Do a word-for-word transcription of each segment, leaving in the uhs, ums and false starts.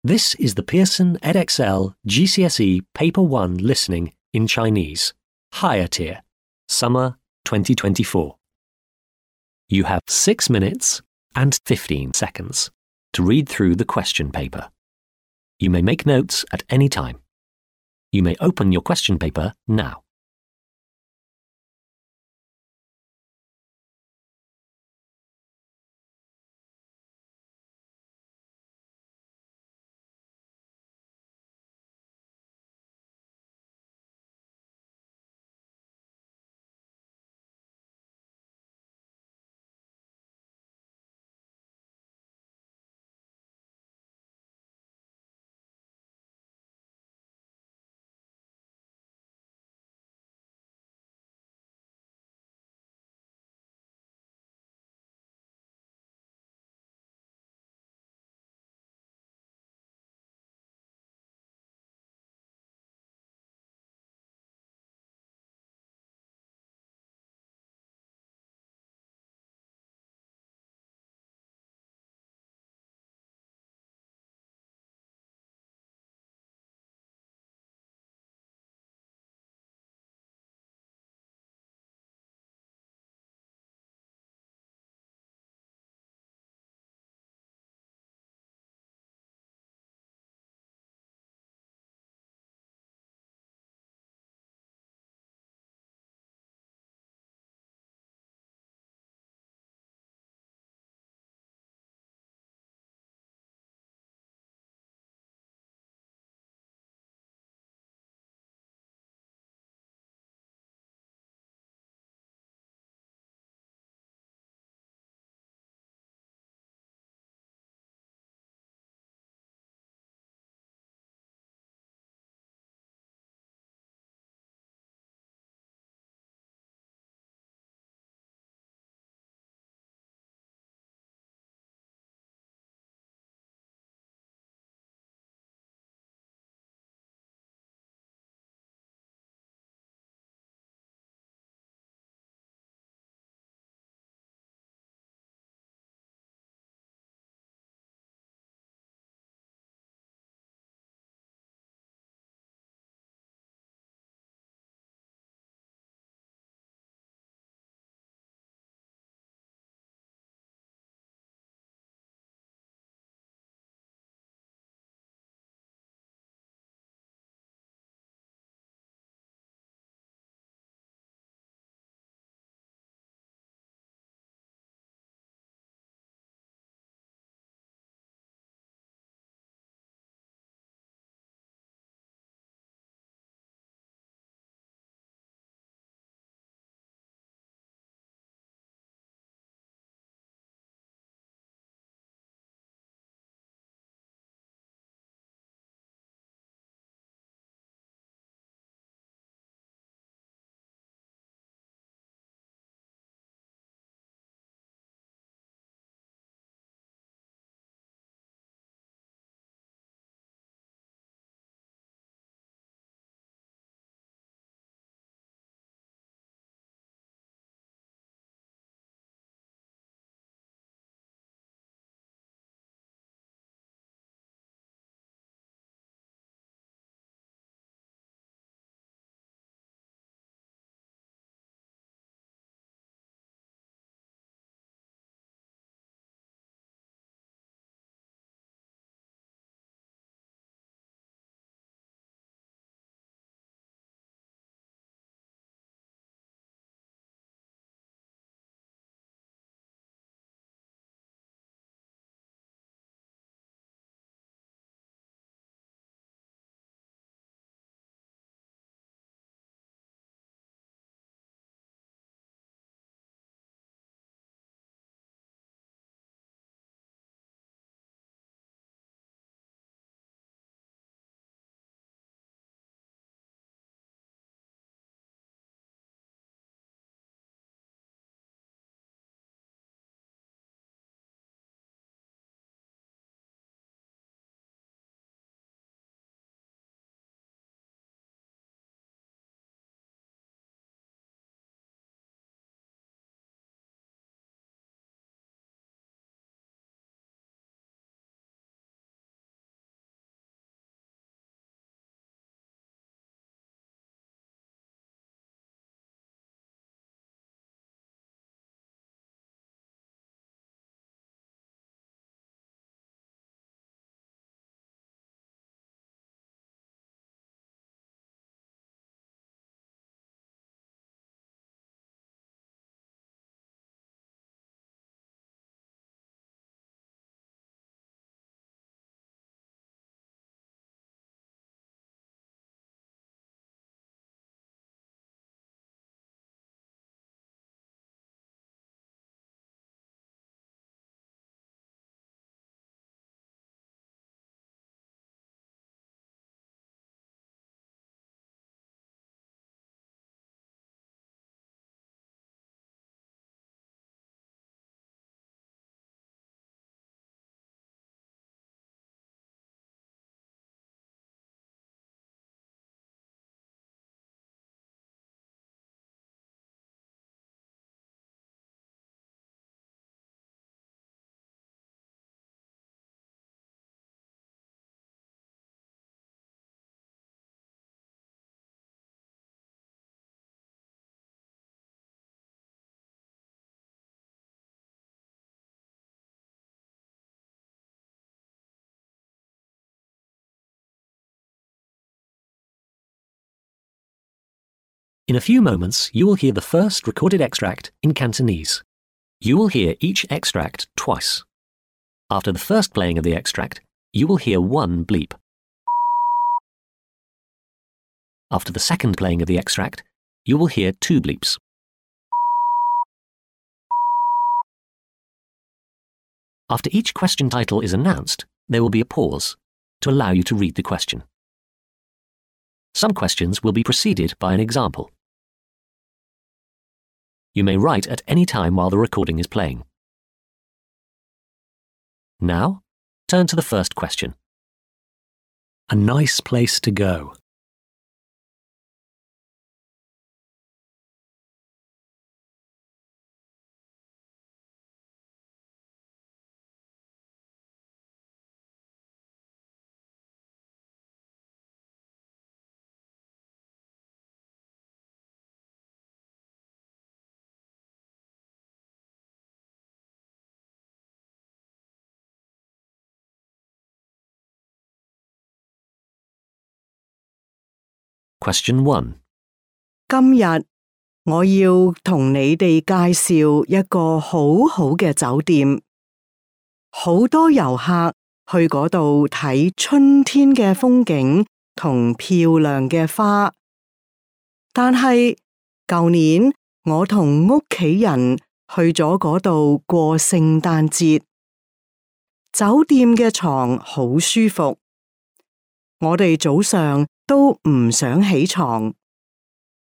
This is the Pearson Edexcel G C S E Paper one Listening in Chinese, Higher Tier, Summer twenty twenty-four. You have six minutes and fifteen seconds to read through the question paper. You may make notes at any time. You may open your question paper now. In a few moments, you will hear the first recorded extract in Cantonese. You will hear each extract twice. After the first playing of the extract, you will hear one bleep. After the second playing of the extract, you will hear two bleeps. After each question title is announced, there will be a pause to allow you to read the question. Some questions will be preceded by an example. You may write at any time while the recording is playing. Now, turn to the first question. A nice place to go. Question one. 今日我要同你哋介紹一個好好嘅酒店，好多遊客去嗰度睇春天嘅風景同漂亮嘅花。但係舊年我同屋企人去咗嗰度過聖誕節，酒店嘅床好舒服，我哋早上都唔想起床。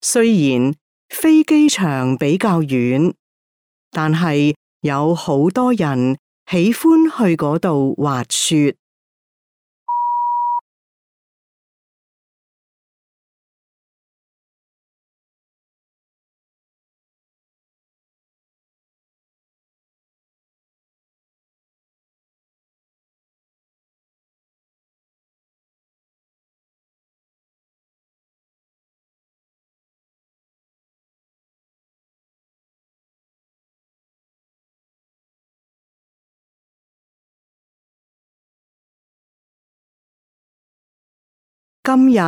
雖然飛機場比較遠，但係有好多人喜歡去嗰度滑雪。今日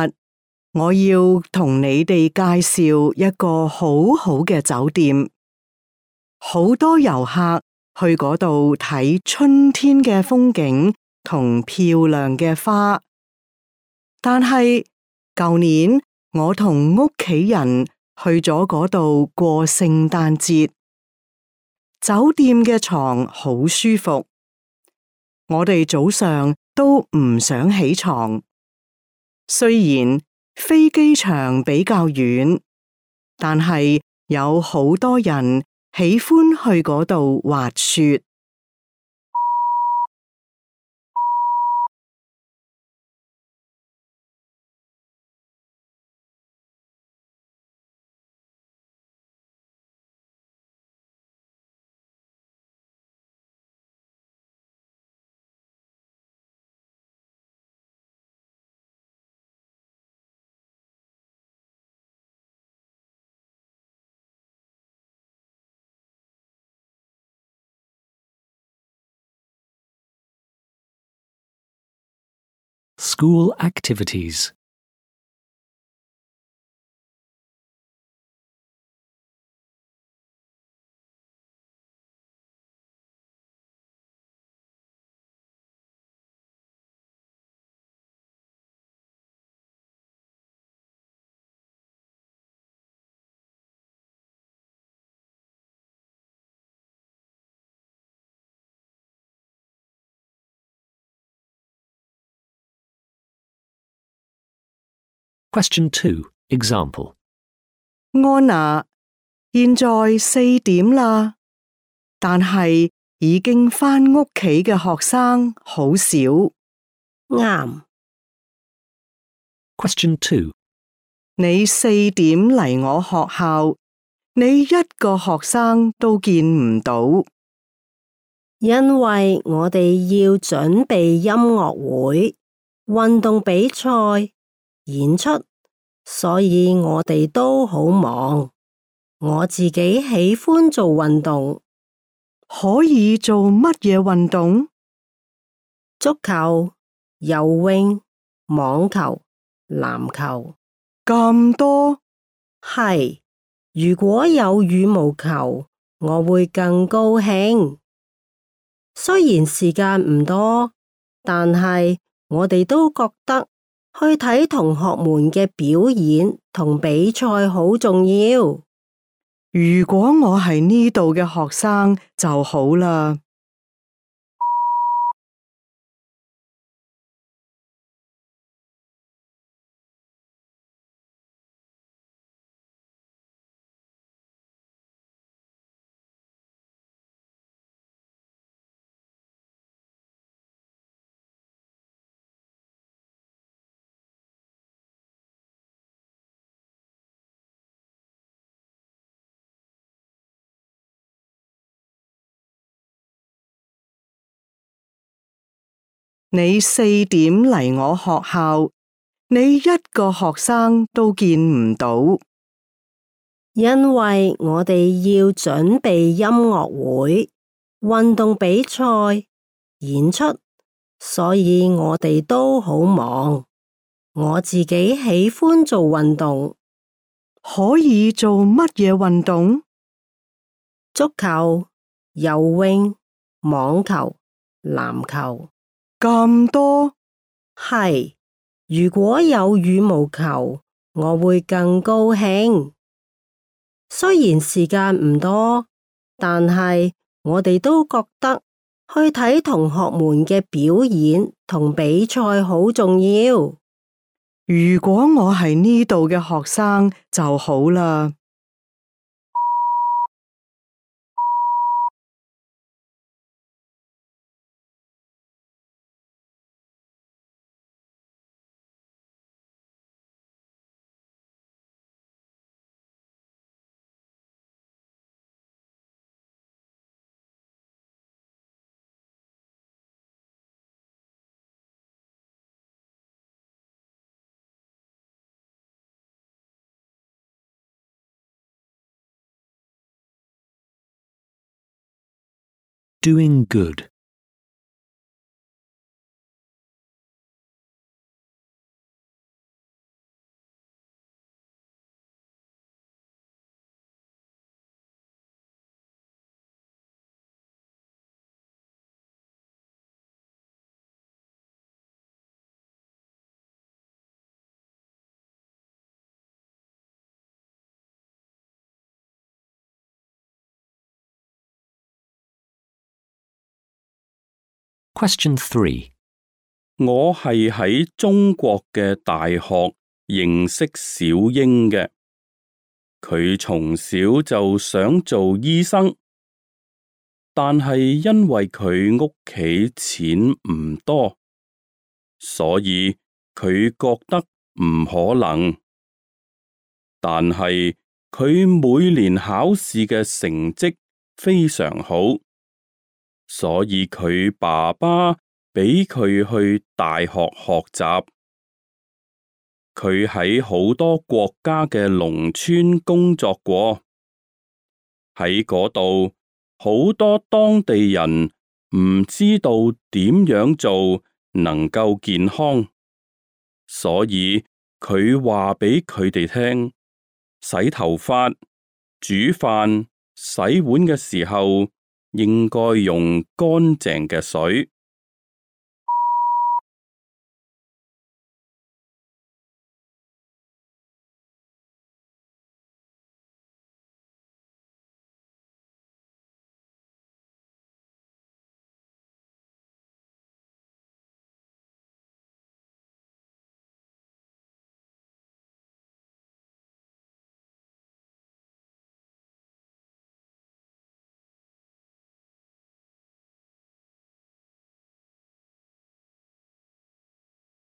我要同你哋介紹一個好好嘅酒店，好多遊客去嗰度睇春天嘅風景同漂亮嘅花。但係舊年我同屋企人去咗嗰度過聖誕節，酒店嘅床好舒服，我哋早上都唔想起床。雖然飛機場比較遠，但係有好多人喜歡去嗰度滑雪。School activities. Question two. Example. 安娜，現在四點啦，但係已經返屋企嘅學生好少。啱。Question two. 你四點嚟我學校，你一個學生都見唔到。因為我哋要準備音樂會、運動比賽、演出，所以我哋都好忙。我自己喜歡做運動。可以做乜嘢運動？足球、游泳、網球、籃球。咁多？係，如果有羽毛球，我會更高興。雖然時間唔多，但係我哋都覺得去睇同學們嘅表演同比賽好重要。如果我係呢度嘅學生就好啦。你四點嚟我學校，你一個學生都見唔到。因為我哋要準備音樂會、運動比賽、演出，所以我哋都好忙。我自己喜歡做運動。可以做乜嘢運動？足球、游泳、網球、籃球。咁多？係，如果有羽毛球，我會更高興。雖然時間唔多，但係我哋都覺得去睇同學們嘅表演同比賽好重要。如果我係呢度嘅學生就好啦。Doing good. Question three. 我係喺中國嘅大學認識小英嘅，佢從小就想做醫生，但係因為佢屋企錢唔多，所以佢覺得唔可能。但係佢每年考試嘅成績非常好，所以佢爸爸俾佢去大學學習。佢喺好多國家嘅農村工作過，喺嗰度好多當地人唔知道點樣做能夠健康，所以佢話俾佢哋聽，洗頭髮、煮飯、洗碗嘅時候應該用乾淨嘅水。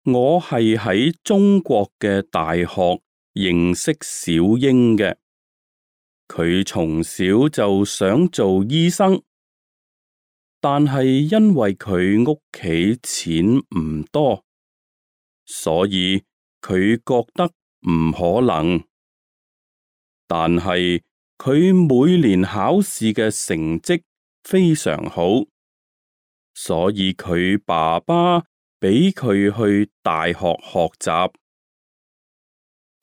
我係喺中國嘅大學認識小英嘅，佢從小就想做醫生，但係因為佢屋企錢唔多，所以佢覺得唔可能。但係佢每年考試嘅成績非常好，所以佢爸爸俾佢去大學學習。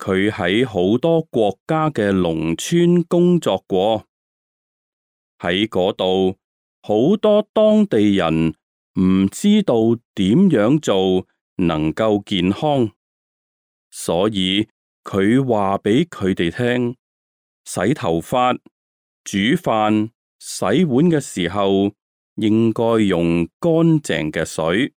佢喺好多國家嘅農村工作過，喺嗰度好多當地人唔知道點樣做能夠健康，所以佢話俾佢哋聽，洗頭髮、煮飯、洗碗嘅時候應該用乾淨嘅水。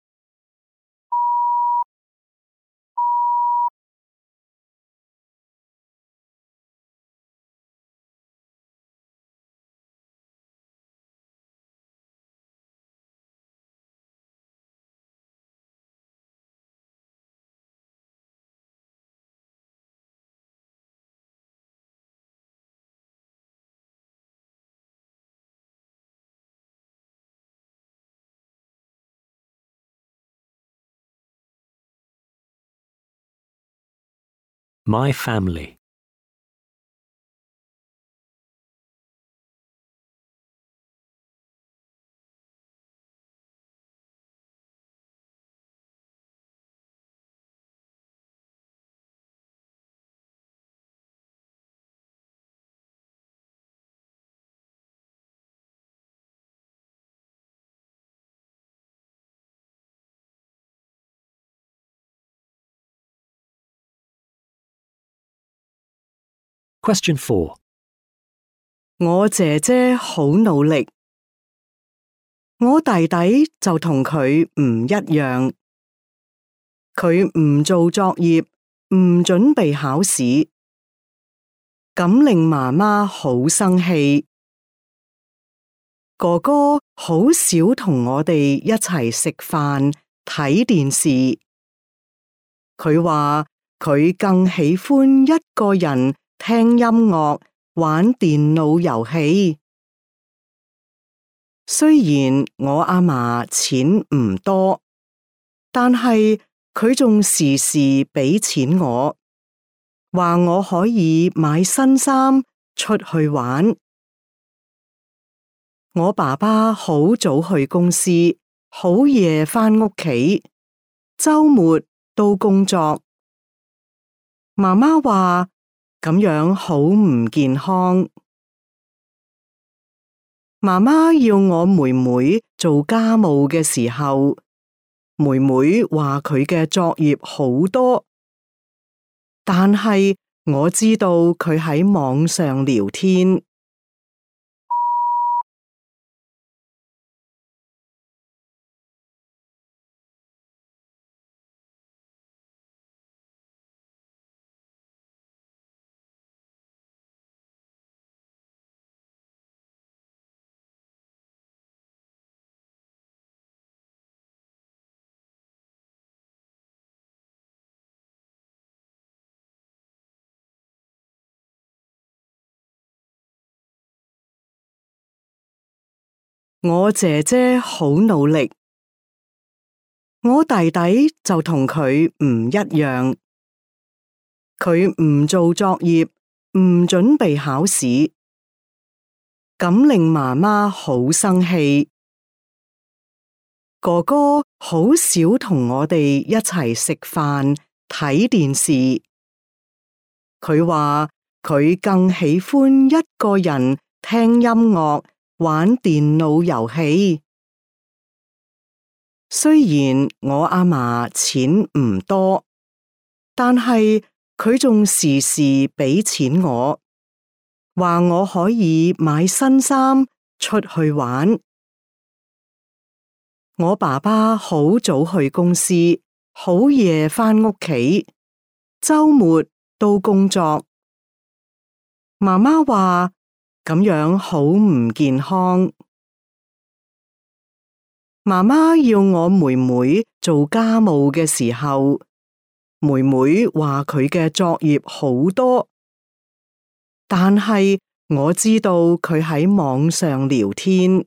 My family. Question four. 我姐姐好努力，我弟弟就同佢唔一樣，佢唔做作業，唔準備考試，咁令媽媽好生氣。哥哥好少同我哋一齊食飯、睇電視，佢話佢更喜歡一個人聽音樂、玩電腦遊戲。雖然我阿嫲錢唔多，但係佢仲時時俾錢我，話我可以買新衫出去玩。我爸爸好早去公司，好夜返屋企，週末都工作。媽媽話咁樣好唔健康。媽媽要我妹妹做家務嘅時候，妹妹話佢嘅作業好多，但係我知道佢喺網上聊天。我姐姐好努力，我弟弟就同佢唔一樣，佢唔做作業，唔準備考試，咁令媽媽好生氣。哥哥好少同我哋一齊食飯、睇電視，佢話佢更喜歡一個人聽音樂、玩電腦遊戲。雖然我阿嫲錢唔多，但係佢仲時時俾錢我，話我可以買新衫出去玩。我爸爸好早去公司，好夜返屋企，週末都工作。媽媽話咁樣好唔健康。媽媽要我妹妹做家務嘅時候，妹妹話佢嘅作業好多，但係我知道佢喺網上聊天。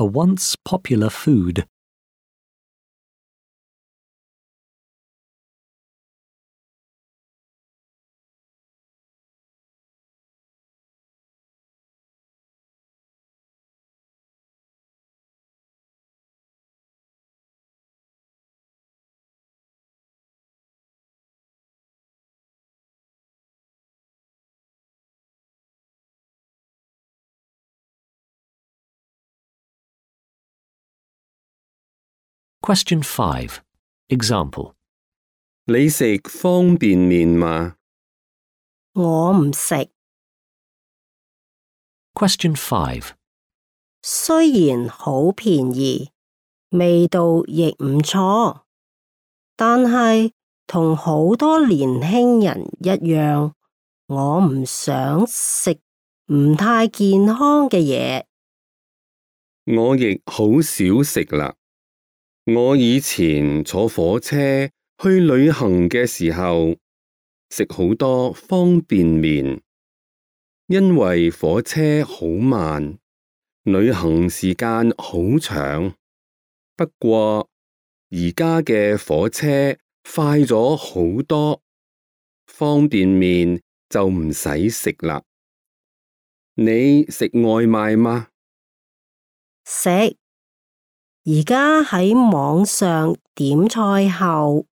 a once popular food. Question five. Example. 你食方便麵嗎？我唔食。Question five. 雖然好便宜，味道亦唔錯，但係同好多年輕人一樣，我唔想食唔太健康嘅嘢。我亦好少食啦。我以前坐火車去旅行嘅時候，食好多方便麵，因為火車好慢，旅行時間好長。不過而家嘅火車快咗好多，方便麵就唔使食啦。你食外賣嗎？食。而家喺網上點菜後，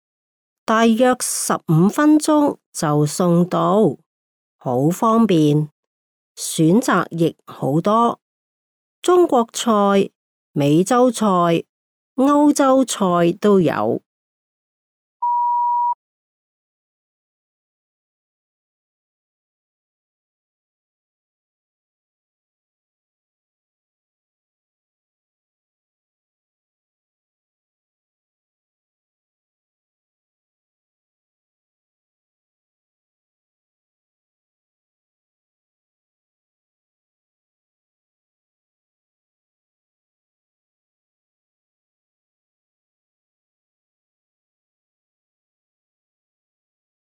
大約十五分鐘就送到，好方便，選擇亦好多，中國菜、美洲菜、歐洲菜都有。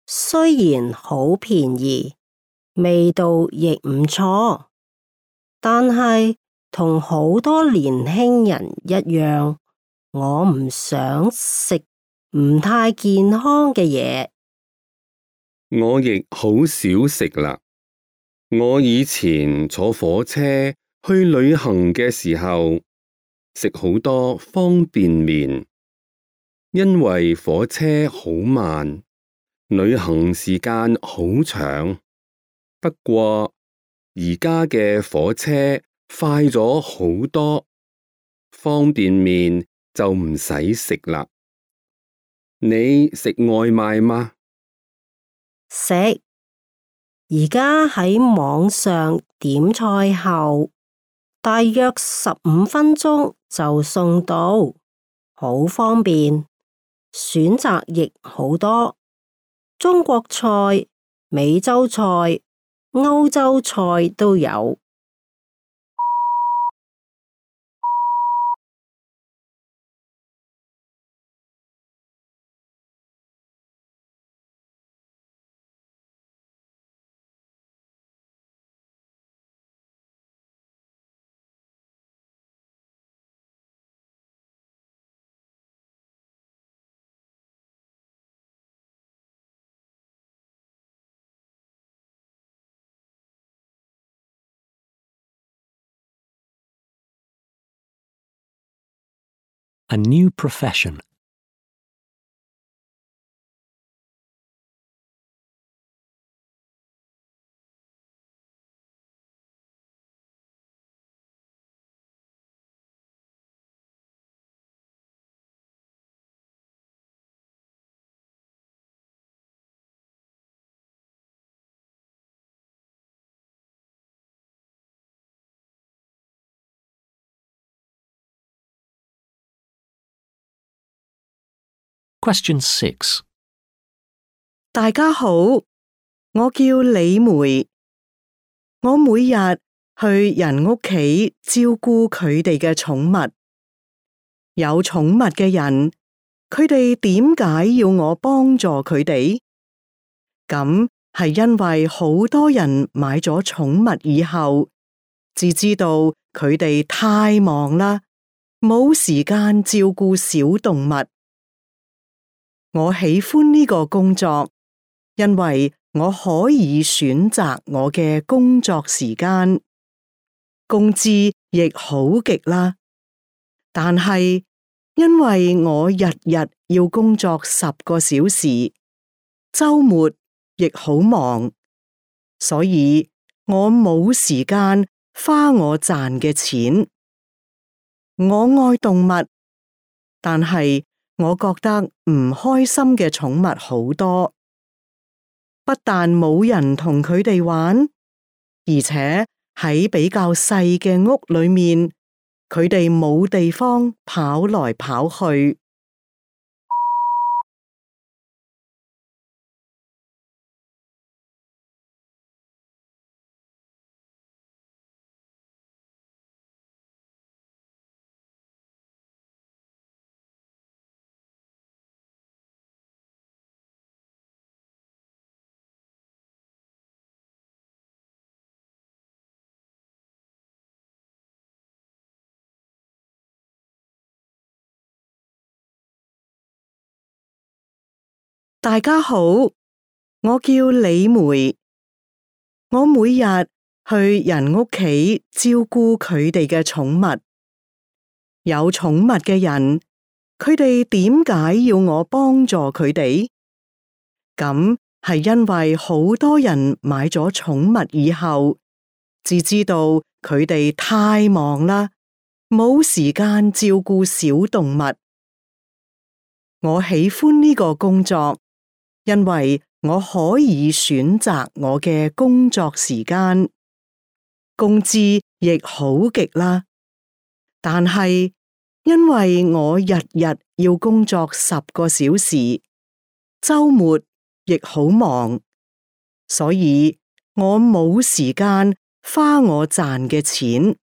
雖然好便宜，味道亦唔錯，但係同好多年輕人一樣，我唔想食唔太健康嘅嘢。我亦好少食啦。我以前坐火車去旅行嘅時候，食好多方便麵，因為火車好慢，旅行時間好長。不過而家嘅火車快咗好多，方便麵就唔使食啦。你食外賣嗎？食。而家喺網上點菜後，大約十五分鐘就送到，好方便，選擇亦好多，中國菜、美洲菜、歐洲菜都有。A new profession. Question six. 大家好，我叫李梅，我每日去人屋企照顧佢哋嘅寵物。有寵物嘅人，佢哋點解要我幫助佢哋？咁係因為好多人買咗寵物以後，至知道佢哋太忙啦，冇時間照顧小動物。我喜歡呢個工作，因為我可以選擇我嘅工作時間，工資亦好極啦。但係因為我日日要工作十個小時，週末亦好忙，所以我冇時間花我賺嘅錢。我愛動物，但係我覺得唔開心嘅寵物好多，不但冇人同佢哋玩，而且喺比較細嘅屋裏面，佢哋冇地方跑來跑去。大家好，我叫李梅，我每日去人屋企照顧佢哋嘅寵物。有寵物嘅人，佢哋點解要我幫助佢哋？咁係因為好多人買咗寵物以後，只知道佢哋太忙啦，冇時間照顧小動物。我喜歡呢個工作，因為我可以選擇我嘅工作時間，工資亦好極啦。但係因為我日日要工作十個小時，週末亦好忙，所以我冇時間花我賺嘅錢。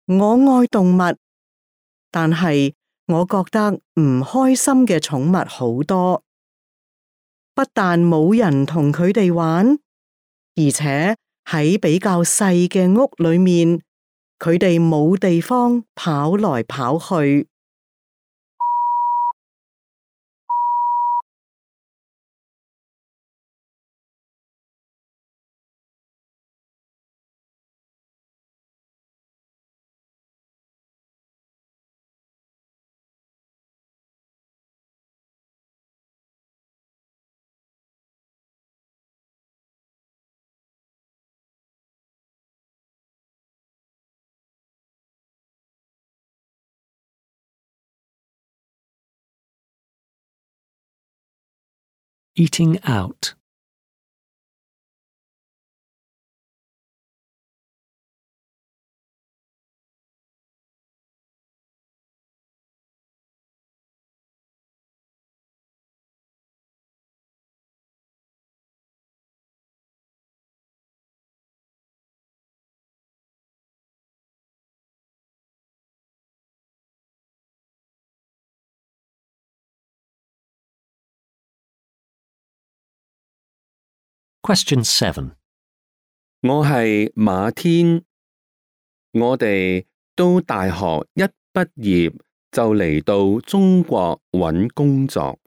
我愛動物，但係我覺得唔開心嘅寵物好多。不但冇人同佢哋玩，而且喺比較細嘅屋裏面，佢哋冇地方跑來跑去。Eating out. Question seven. 我係馬天，我哋都大學一畢業就嚟到中國揾工作。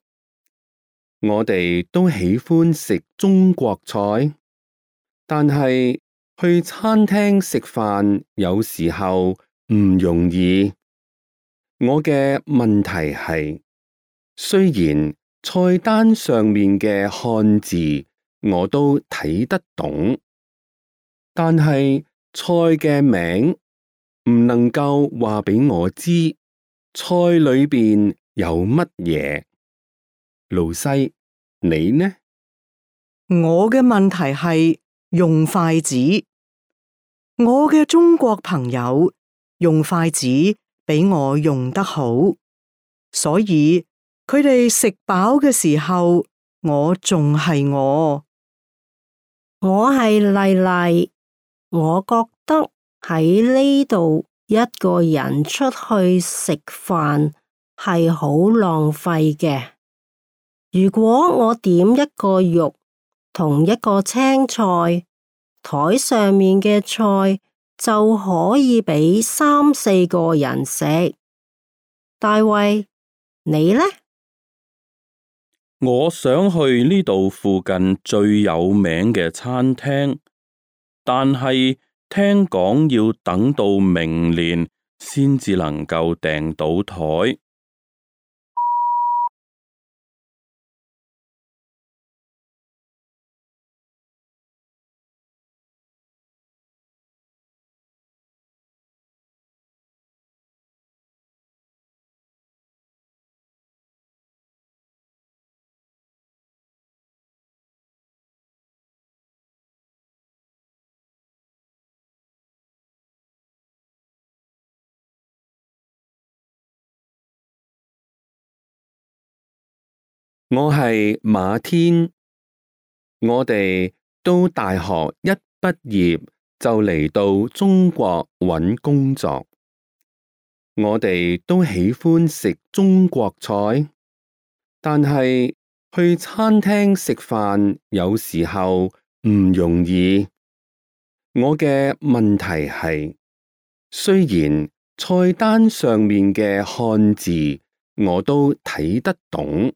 我哋都喜歡食中國菜，但係去餐廳食飯有時候唔容易。我嘅問題係，雖然菜單上面嘅漢字我都睇得懂，但係菜嘅名唔能夠話俾我知菜裏邊有乜嘢。露西，你呢？我嘅問題係用筷子。我嘅中國朋友用筷子比我用得好，所以佢哋食飽嘅時候，我仲係我。我係麗麗，我覺得喺呢度一個人出去食飯係好浪費嘅。如果我點一個肉同一個青菜，台上面嘅菜就可以俾三四個人食。大衛，你呢？我想去呢度附近最有名嘅餐廳，但係聽講要等到明年先至能夠訂到枱。我係馬天，我哋都大學一畢業就嚟到中國揾工作，我哋都喜歡食中國菜，但係去餐廳食飯有時候唔容易。我嘅問題係，雖然菜單上面嘅漢字我都睇得懂，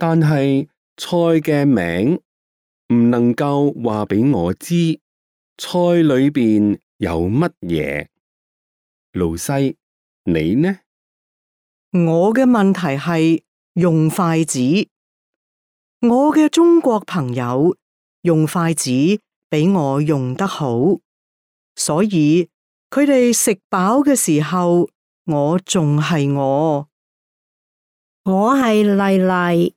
但係菜嘅名唔能夠話俾我知菜裏邊有乜嘢。露西，你呢？我嘅問題係用筷子。我嘅中國朋友用筷子比我用得好，所以佢哋食飽嘅時候，我仲係我。我係麗麗，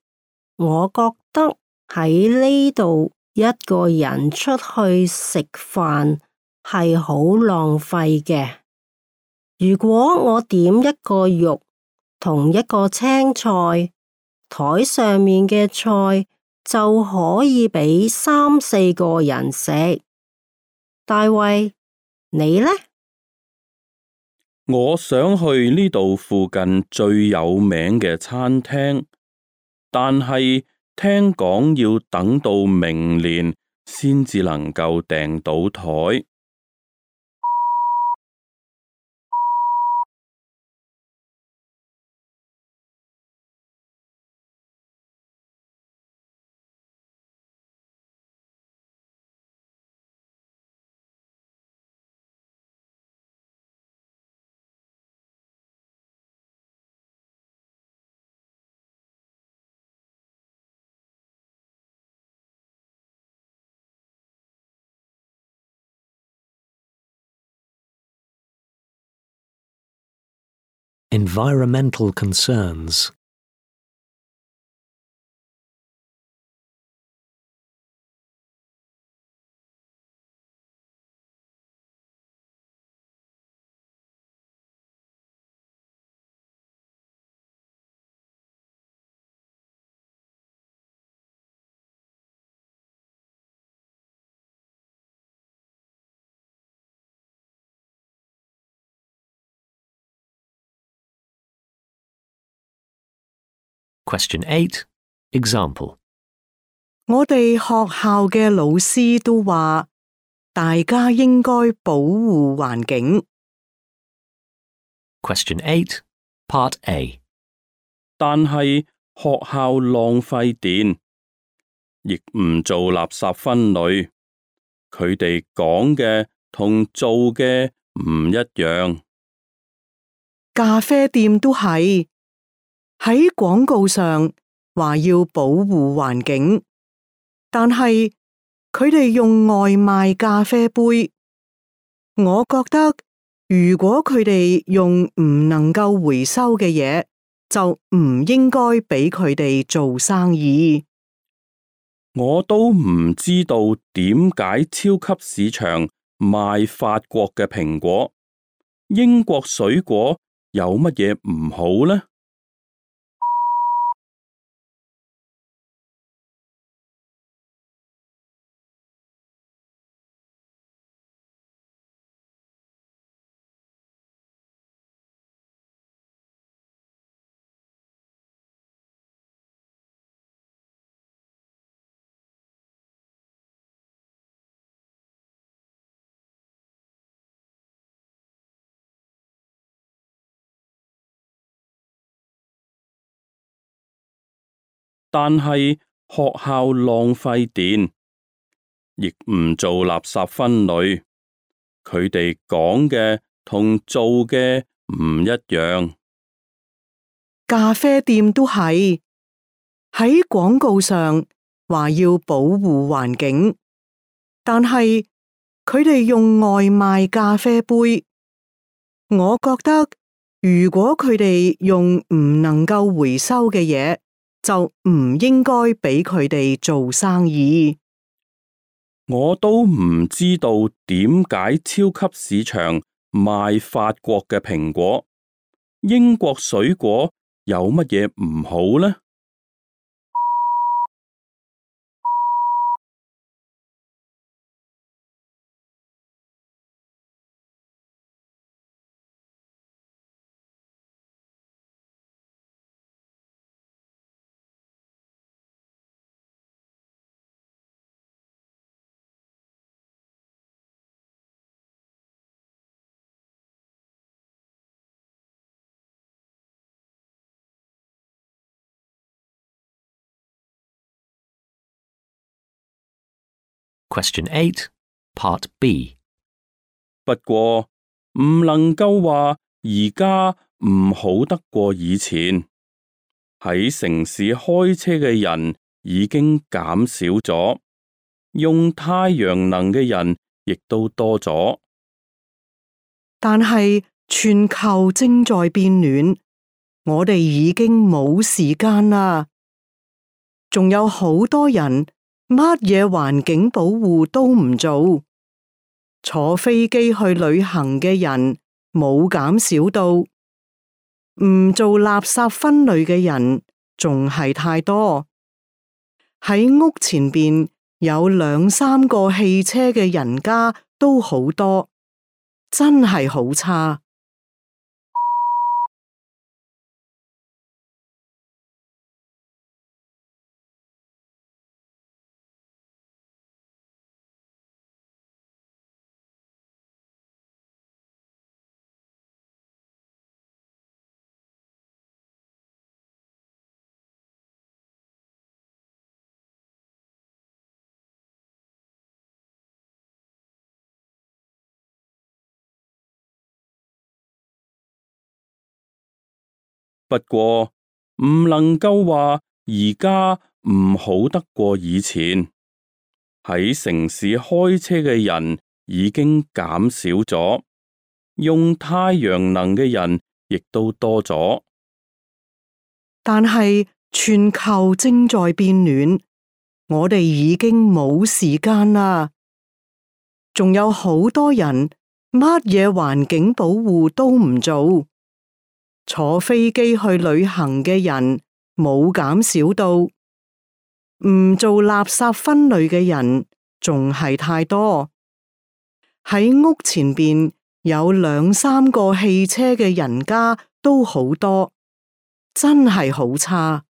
我覺得喺呢度一個人出去食飯係好浪費嘅。如果我點一個肉同一個青菜，台上面嘅菜就可以俾三四個人食。大衛，你呢？我想去呢度附近最有名嘅餐廳，但係聽講要等到明年先至能夠訂到枱。Environmental concerns. Question eight. Example. 我哋學校嘅老師都話，大家應該保護環境。Question eight. Part A. 但係學校浪費電，亦唔做垃圾分類，佢哋講嘅同做嘅唔一樣。咖啡店都係喺廣告上話要保護環境，但係佢哋用外賣咖啡杯。我覺得如果佢哋用唔能夠回收嘅嘢，就唔應該俾佢哋做生意。我都唔知道點解超級市場賣法國嘅蘋果，英國水果有乜嘢唔好呢？但係學校浪費電，亦唔做垃圾分類。佢哋講嘅同做嘅唔一樣。咖啡店都係喺廣告上話要保護環境，但係佢哋用外賣咖啡杯。我覺得如果佢哋用唔能夠回收嘅嘢，就唔應該俾佢哋做生意。我都唔知道點解超級市場賣法國嘅蘋果，英國水果有乜嘢唔好呢？Question eight, Part B. 不過唔能夠話而家唔好得過以前。喺城市開車嘅人已經減少咗，用太陽能嘅人亦都多咗。但係全球正在變暖，我哋已經冇時間啦。仲有好多人乜嘢環境保護都唔做，坐飛機去旅行嘅人冇減少到，唔做垃圾分類嘅人仲係太多。喺屋前邊有兩三個汽車嘅人家都好多，真係好差。不過唔能夠話而家唔好得過以前。喺城市開車嘅人已經減少咗，用太陽能嘅人亦都多咗。但係全球正在變暖，我哋已經冇時間啦。仲有好多人乜嘢環境保護都唔做，坐飛機去旅行嘅人冇減少到，唔做垃圾分類嘅人仲係太多。喺屋前邊有兩三個汽車嘅人家都好多，真係好差。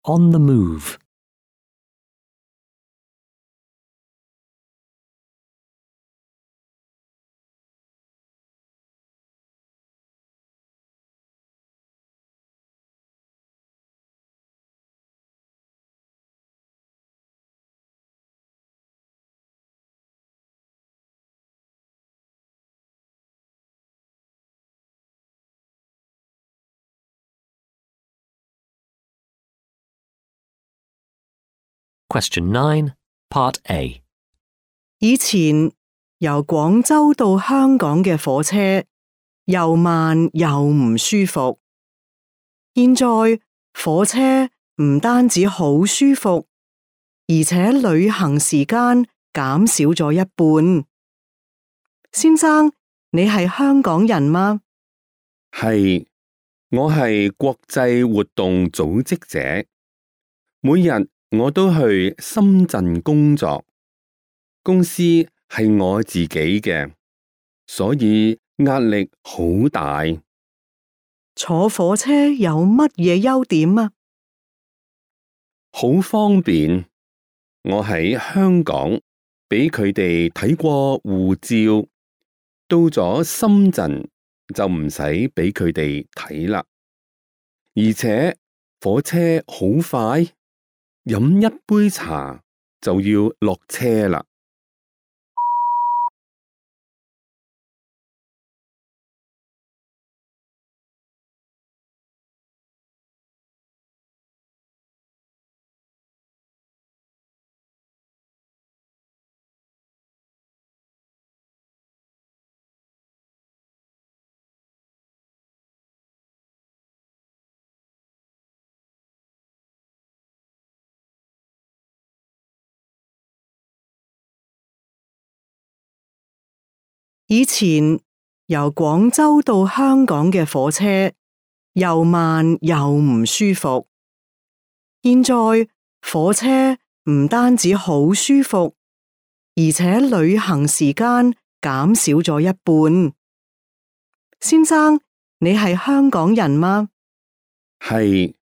On the move. Question nine, Part A. 以前由廣州到香港嘅火車又慢又唔舒服，現在火車唔單止好舒服，而且旅行時間減少咗一半。先生，你係香港人嗎？係，我係國際活動組織者，每日我都去深圳工作，公司係我自己嘅，所以壓力好大。坐火車有乜嘢優點啊？好方便，我喺香港俾佢哋睇過護照，到咗深圳就唔使俾佢哋睇啦。而且火車好快，飲一杯茶就要落車啦。以前由廣州到香港嘅火車又慢又唔舒服，現在火車唔單止好舒服，而且旅行時間減少咗一半。先生，你係香港人嗎？係，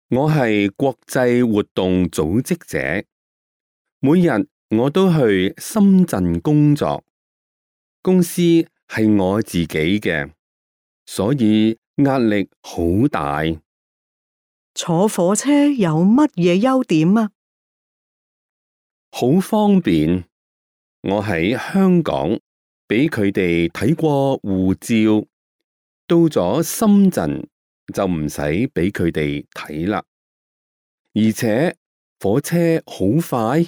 我係國際活動組織者，每日我都去深圳工作，公司係我自己嘅，所以壓力好大。坐火車有乜嘢優點啊？好方便，我喺香港俾佢哋睇過護照，到咗深圳就唔使俾佢哋睇啦。而且火車好快，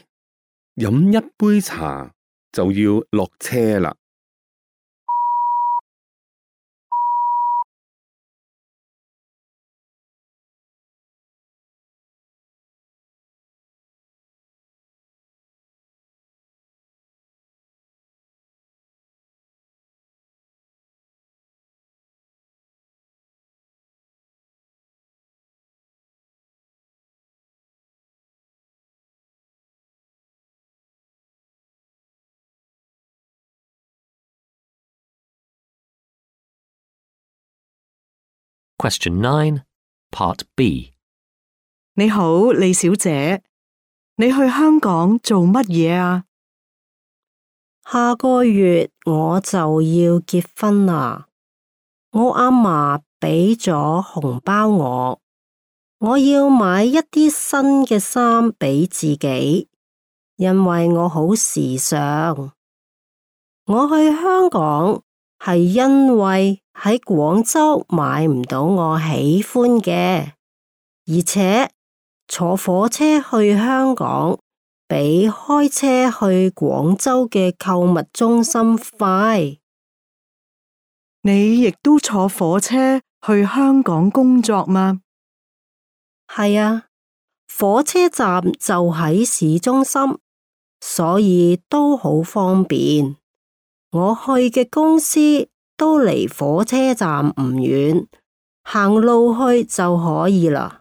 飲一杯茶就要落車啦。Question nine, Part B. 你好，李小姐，你去香港做乜嘢啊？下個月我就要結婚啦，我阿嫲俾咗紅包我，我要買一啲新嘅衫俾自己，因為我好時尚。我去香港係因為喺廣州買唔到我喜歡嘅，而且坐火車去香港比開車去廣州嘅購物中心快。你亦都坐火車去香港工作嗎？係啊，火車站就喺市中心，所以都好方便。我去嘅公司都離火車站唔遠，行路去就可以啦。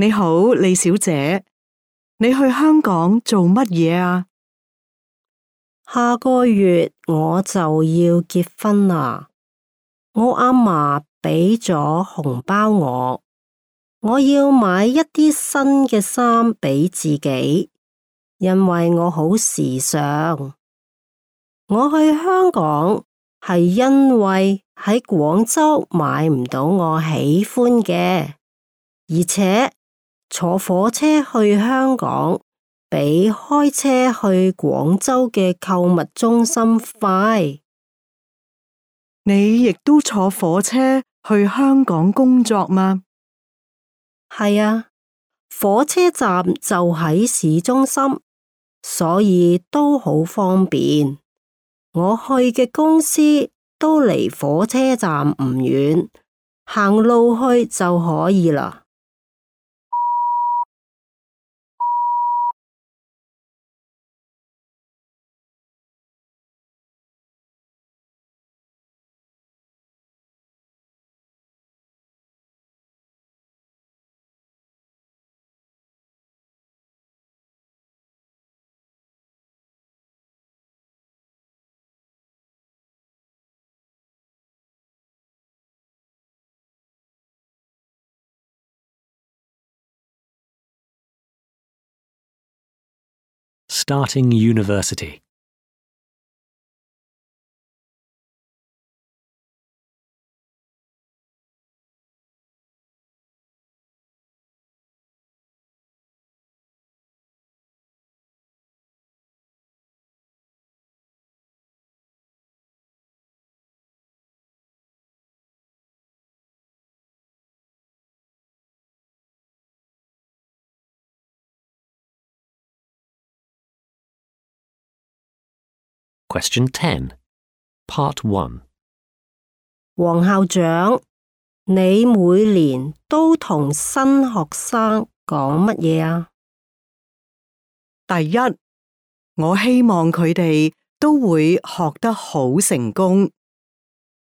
你好，李小姐，你去香港做乜嘢啊？下個月我就要結婚啦，我阿嫲俾咗紅包我，我要買一啲新嘅衫俾自己，因為我好時尚。我去香港係因為喺廣州買唔到我喜歡嘅，而且坐火車去香港比開車去廣州嘅購物中心快。你亦都坐火車去香港工作嗎？係啊，火車站就喺市中心，所以都好方便。我去嘅公司都離火車站唔遠，行路去就可以啦。Starting university. Question ten, Part one. 黃校長，你每年都同新學生講乜嘢啊？第一，我希望佢哋都會學得好成功。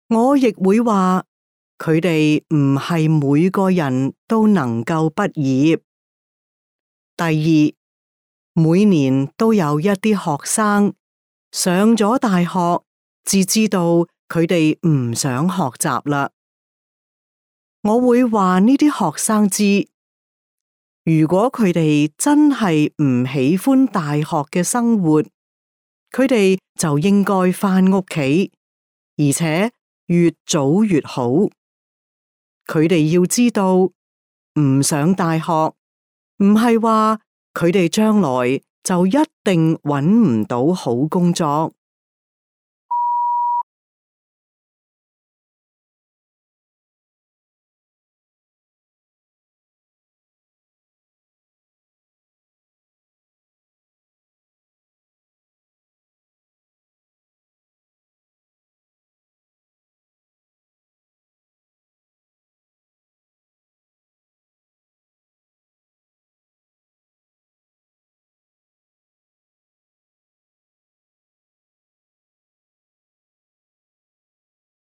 我亦會話佢哋唔係每個人都能夠畢業。第二，每年都有一啲學生上咗大學，至知道佢哋唔想學習啦。我會話呢啲學生知，如果佢哋真係唔喜歡大學嘅生活，佢哋就應該返屋企，而且越早越好。佢哋要知道，唔上大學唔係話佢哋將來就一定揾唔到好工作。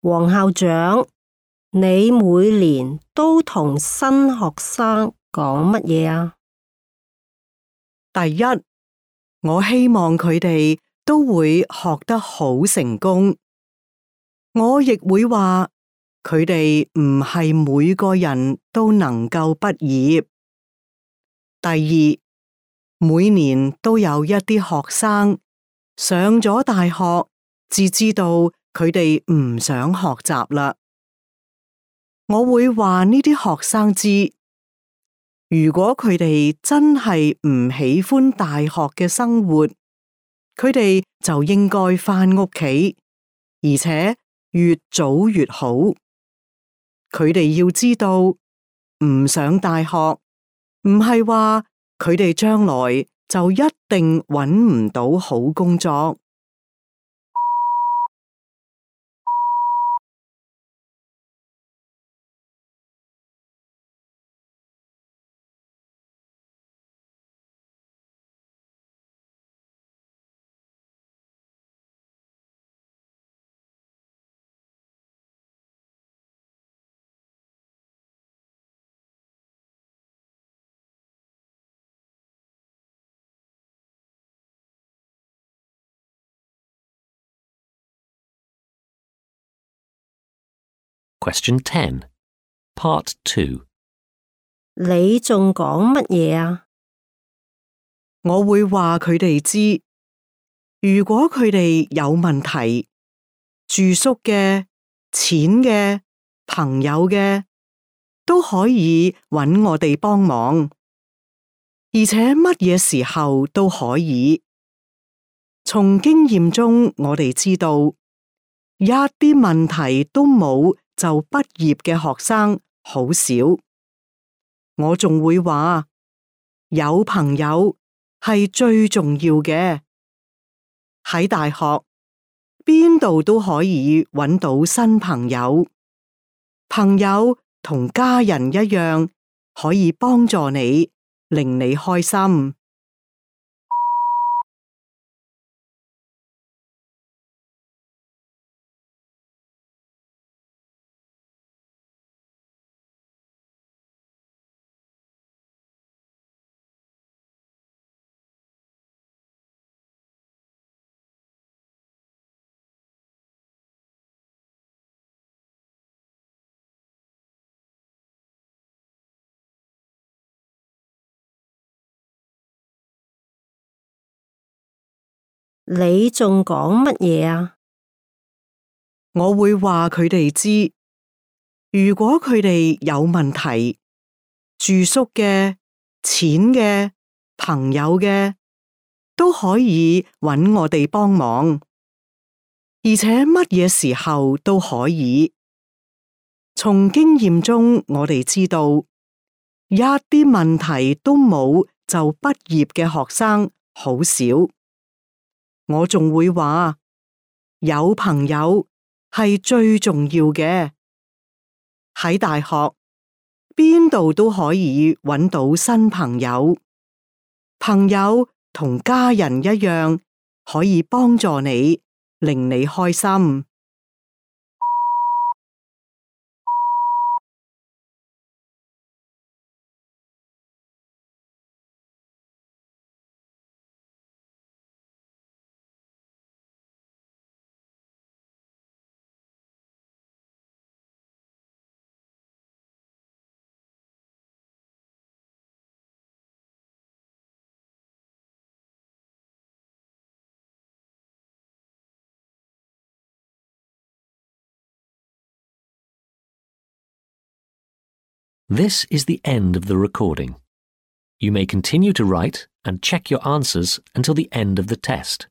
黃校長，你每年都同新學生講乜嘢啊？第一，我希望佢哋都會學得好成功。我亦會話佢哋唔係每個人都能夠畢業。第二，每年都有一啲學生上咗大學，至知道佢哋唔想學習啦。我會話呢啲學生知，如果佢哋真係唔喜歡大學嘅生活，佢哋就應該返屋企，而且越早越好。佢哋要知道，唔上大學唔係話佢哋將來就一定揾唔到好工作。Question ten, Part two. 你仲講乜嘢啊？我會話佢哋知，如果佢哋有問題，住宿嘅、錢嘅、朋友嘅，都可以揾我哋幫忙，而且乜嘢時候都可以。從經驗中，我哋知道，一啲問題都冇就畢業嘅學生好少。我仲會話，有朋友係最重要嘅。喺大學，邊度都可以揾到新朋友。朋友同家人一樣，可以幫助你，令你開心。你仲講乜嘢啊？我會話佢哋知，如果佢哋有問題，住宿嘅、錢嘅、朋友嘅，都可以揾我哋幫忙，而且乜嘢時候都可以。從經驗中，我哋知道，一啲問題都冇就畢業嘅學生好少。我仲會話，有朋友係最重要嘅。喺大學，邊度都可以揾到新朋友。朋友同家人一樣，可以幫助你，令你開心。This is the end of the recording. You may continue to write and check your answers until the end of the test.